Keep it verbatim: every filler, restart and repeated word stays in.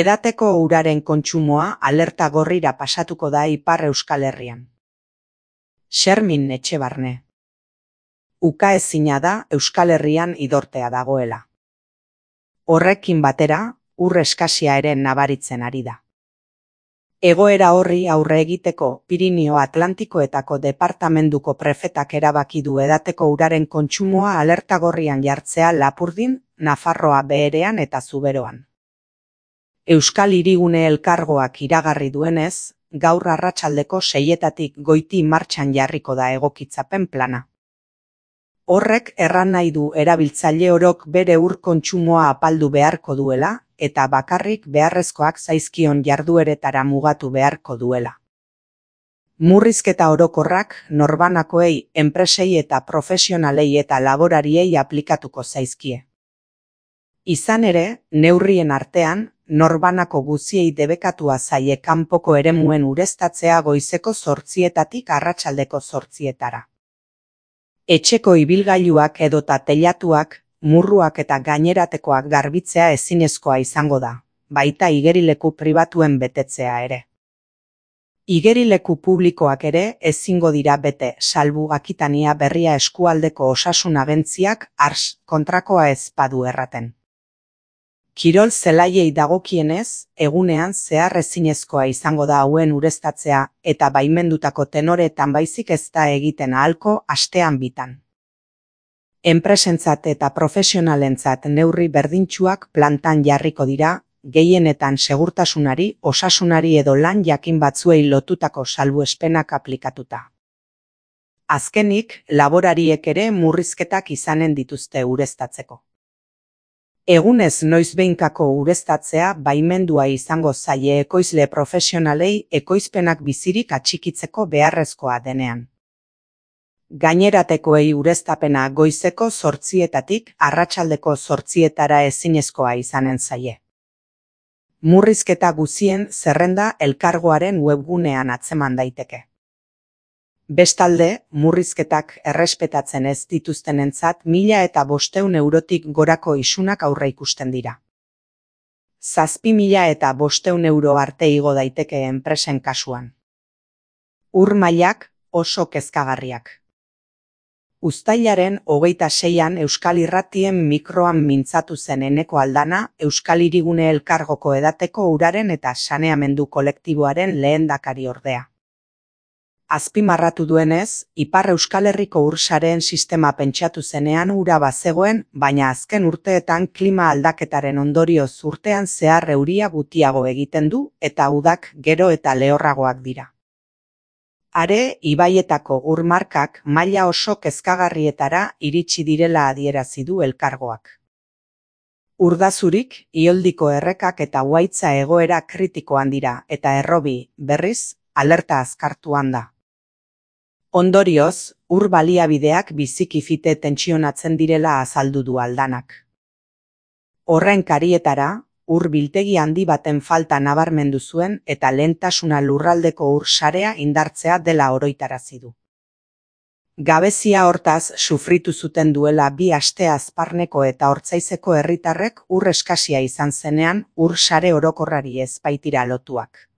Edateko uraren kontsumoa alerta gorrira pasatuko da Ipar Euskal Herrian. Xermin Etxebarne. Ukaezina da Euskal Herrian idortea dagoela. Horrekin batera, ur eskasia ere nabaritzen ari da. Egoera horri aurre egiteko Pirinio Atlantikoetako departamenduko prefetak erabaki du edateko uraren kontsumoa alerta gorrian jartzea Lapurdin, Nafarroa Beherean eta Zuberoan. Euskal Hirigune Elkargoak iragarri duenez, gaur arratsaldeko seietatik goiti martxan jarriko da egokitzapen plana. Horrek erran nahi du erabiltzaile orok bere ur kontsumoa apaldu beharko duela eta bakarrik beharrezkoak zaizkion jardueretara mugatu beharko duela. Murrizketa orokorrak norbanakoei, enpresei eta profesionalei eta laborariei aplikatuko zaizkie. Izan ere, neurrien artean, norbanako guziei debekatua zaie kanpoko eremuen ureztatzea goizeko zortzietatik arratsaldeko zortzietara. Etxeko ibilgailuak edota teilatuak, murruak eta gaineratekoak garbitzea ezinezkoa izango da, baita igerileku pribatuen betetzea ere. Igerileku publikoak ere ezingo dira bete, salbu Akitania Berria eskualdeko osasun agentziak ars kontrakoa ez badu erraten. Kirol zelaiei dagokienez, egunean zehar ezinezkoa izango da hauen ureztatzea eta baimendutako tenoreetan baizik ez da egiten ahalko astean bitan. Enpresentzat eta profesionalentzat neurri berdintsuak plantan jarriko dira, gehienetan segurtasunari, osasunari edo lan jakin batzuei lotutako salbuespenak aplikatuta. Azkenik, laborariek ere murrizketak izanen dituzte ureztatzeko. Egunez noizbehinkako ureztatzea baimendua izango zaie ekoizle profesionalei ekoizpenak bizirik atxikitzeko beharrezkoa denean. Gaineratekoei ureztapena goizeko zortzietatik arratsaldeko zortzietara ezinezkoa izanen zaie. Murrizketa guzien zerrenda elkargoaren webgunean atzeman daiteke. Bestalde, murrizketak errespetatzen ez dituztenentzat mila eta bosteun eurotik gorako isunak aurre ikusten dira. Zazpi mila eta bosteun euro arte igo daiteke enpresen kasuan. Ur mailak oso kezkagarriak. Uztailaren hogeita seian Euskal Irratien mikroan mintzatu zen Eneko Aldana Euskal Hirigune Elkargoko edateko uraren eta saneamendu kolektiboaren lehendakari ordea. Azpimarratu duenez, Ipar Euskal Herriko ursareen sistema pentsatu zenean ura bazegoen, baina azken urteetan klima aldaketaren ondorioz urtean zehar euria gutiago egiten du eta udak gero eta lehorragoak dira. Are, ibaietako ur markak maila oso kezkagarrietara iritsi direla adierazi du elkargoak. Urdazurik, Ioldiko errekak eta Uhaitza egoera kritikoan dira eta Errobi, berriz, alerta azkartuan da. Ondorioz, ur baliabideak biziki fite tentsionatzen direla azaldu du Aldanak. Horren karietara, ur biltegi handi baten falta nabarmendu zuen eta lehentasuna lurraldeko ur sarea indartzea dela oroitarazi du. Gabezia hortaz sufritu zuten duela bi aste Azparneko eta Ortzaizeko herritarrek ur eskasia izan zenean ur sare orokorrari ez baitira lotuak.